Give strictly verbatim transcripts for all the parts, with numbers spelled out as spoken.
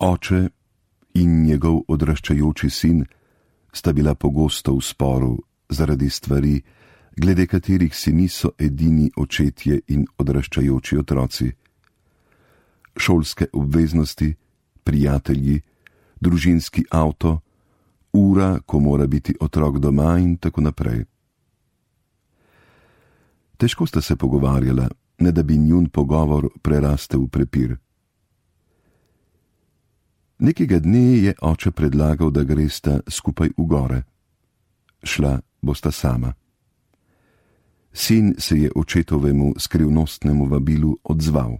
Oče in njegov odraščajoči sin sta bila pogosto v sporu zaradi stvari, glede katerih si niso edini očetje in odraščajoči otroci. Šolske obveznosti, prijatelji, družinski avto, ura, ko mora biti otrok doma in tako naprej. Težko sta se pogovarjala, ne da bi njun pogovor prerastel v prepir. Nekega dne je oče predlagal, da gresta skupaj v gore. Šla bosta sama. Sin se je očetovemu skrivnostnemu vabilu odzval.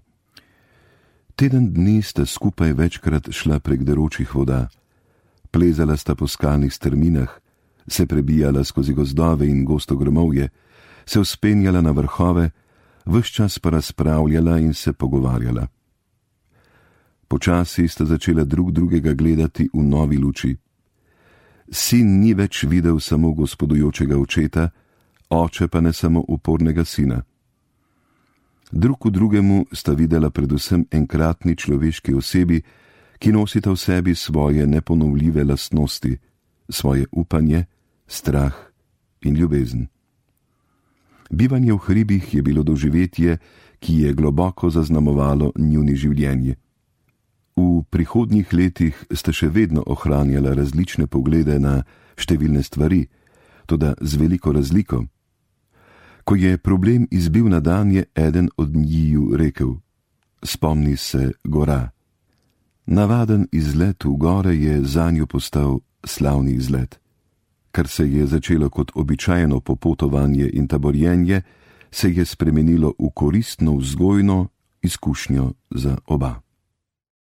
Teden dni sta skupaj večkrat šla prek deročih voda, plezala sta po skalnih strminah, se prebijala skozi gozdove in gosto grmovje, se vzpenjala na vrhove, ves čas pa razpravljala in se pogovarjala. Počasi sta začela drug drugega gledati v novi luči. Sin ni več videl samo gospodujočega očeta, oče pa ne samo upornega sina. Drug v drugemu sta videla predvsem enkratni človeški osebi, ki nosita v sebi svoje neponovljive lastnosti, svoje upanje, strah in ljubezen. Bivanje v hribih je bilo doživetje, ki je globoko zaznamovalo njuni življenje. V prihodnjih letih sta še vedno ohranjala različne poglede na številne stvari, toda z veliko razliko. Ko je problem izbil na dan, je eden od njiju rekel: spomni se gora. Navaden izlet v gore je zanjo postal slavni izlet. Kar se je začelo kot običajno popotovanje in taborjenje, se je spremenilo v koristno vzgojno izkušnjo za oba.